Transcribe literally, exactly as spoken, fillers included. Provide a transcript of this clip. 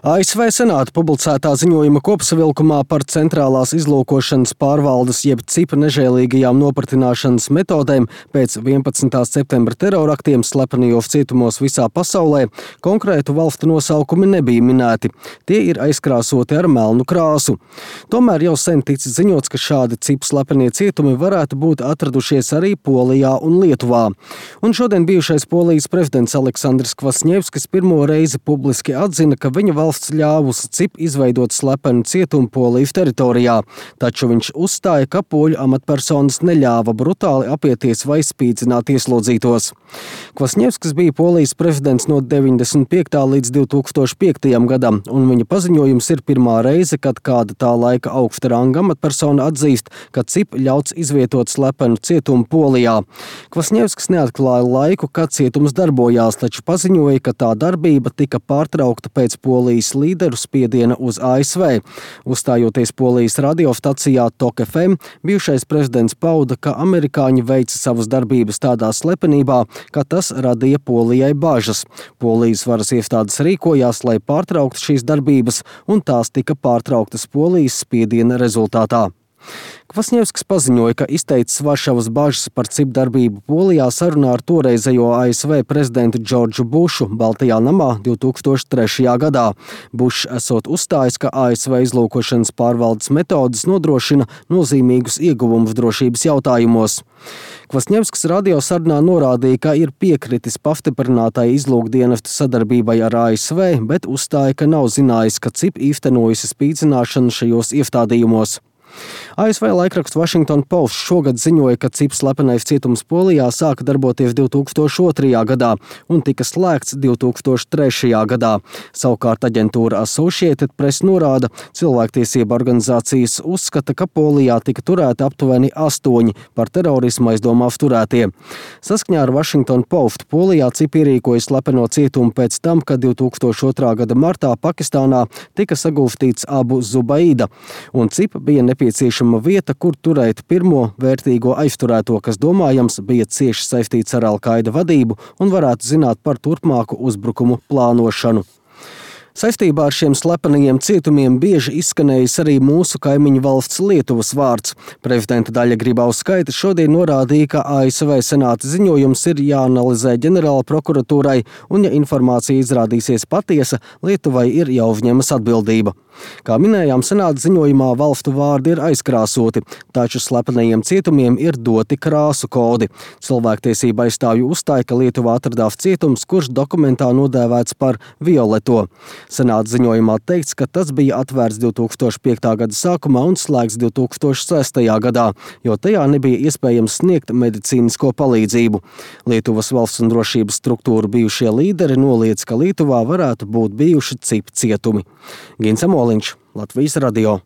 A S V Senāta publicētā ziņojuma kopsavilkumā par centrālās izlūkošanas pārvaldes jeb cipa nežēlīgajām nopratināšanas metodēm pēc vienpadsmitā septembra teroraktiem slepenījos cietumos visā pasaulē konkrētu valstu nosaukumi nebija minēti. Tie ir aizkrāsoti ar melnu krāsu. Tomēr jau sen ticis ziņots, ka šādi cipa slepenie cietumi varētu būt atradušies arī Polijā un Lietuvā. Un šodien bijušais Polijas prezidents Aleksandrs Kvasņevskis pirmo reizi publiski atzina, ka viņa valsts ļāvusi cipa izveidot slepenu cietumu Polijas teritorijā, taču viņš uzstāja, ka poļu amatpersonas neļāva brutāli apieties vai spīdzināt ieslodzītos. Kvasņevskis bija Polijas prezidents no deviņdesmit piektā līdz divtūkstoš piektajam gadam, un viņa paziņojums ir pirmā reize, kad kāda tā laika augsta ranga amatpersona atzīst, ka cipa ļauts izvietot slepenu cietumu Polijā. Kvasņevskis neatklāja laiku, kad cietums darbojās, taču paziņoja, ka tā darbība tika pārtraukta pēc Polijas līderu spiediena uz A S V. Uzstājoties Polijas radiostacijā Tok F M, bijušais prezidents pauda, ka amerikāņi veica savas darbības tādā slepenībā, ka tas radīja Polijai bažas. Polijas varas iestādes rīkojās, lai pārtrauktu šīs darbības, un tās tika pārtrauktas Polijas spiediena rezultātā. Kvasņevskis paziņoja, ka izteicis Varšavas bažas par cipa darbību Polijā sarunā ar toreizējo A S V prezidentu Džordžu Bušu Baltajā namā divtūkstoš trešajā gadā. Bušs esot uzstājis, ka A S V izlūkošanas pārvaldes metodes nodrošina nozīmīgus ieguvumus drošības jautājumos. Kvasņevskis radiosarunā norādīja, ka ir piekritis pastiprinātai izlūkdienestu sadarbībai ar A S V, bet uzstāja, ka nav zinājis, ka cipa īstenojusi spīdzināšanu šajos iestādījumos. A S V laikraksts Washington Post šogad ziņoja, ka cipa slepenais cietums Polijā sāka darboties divtūkstoš otrajā gadā un tika slēgts divtūkstoš trešajā gadā. Savukārt aģentūra Associated Press norāda, cilvēktiesība organizācijas uzskata, ka Polijā tika turēti aptuveni astoņi par terorismu aizdomās turētie. Saskaņā ar Washington Post Polijā cipa ierīkoja slepeno cietumu pēc tam, kad divtūkstoš otrā gada martā Pakistānā tika sagūstīts Abu Zubaida, un cipa bija nepieciešama vieta, kur turēt pirmo vērtīgo aizturēto, kas domājams bija cieši saistīts ar Al-Qaida vadību un varētu zināt par turpmāku uzbrukumu plānošanu. Saistībā ar šiem slepenajiem cietumiem bieži izskanējis arī mūsu kaimiņu valsts Lietuvas vārds. Prezidenta Daļa Grybauskaite šodien norādīja, ka A S V Senāta ziņojums ir jāanalizē ģenerāla prokuratūrai, un ja informācija izrādīsies patiesa, Lietuvai ir jāuzņemas atbildība. Kā minējām, Senāta ziņojumā valstu vārdi ir aizkrāsoti, taču slepenajiem cietumiem ir doti krāsu kodi. Cilvēktiesība aizstāvju uzstāja, ka Lietuvā atradās cietums, kurš dokumentā nodēvēts par violeto. Senāta ziņojumā teikts, ka tas bija atvērts divtūkstoš piektā gada sākumā un slēgts divtūkstoš sestajā gadā, jo tajā nebija iespējams sniegt medicīnisko palīdzību. Lietuvas valsts un drošības struktūru bijušie līderi noliedz, ka Lietuvā varētu būt bijuši cipa cietumi. Gins Amoliņš, Latvijas radio.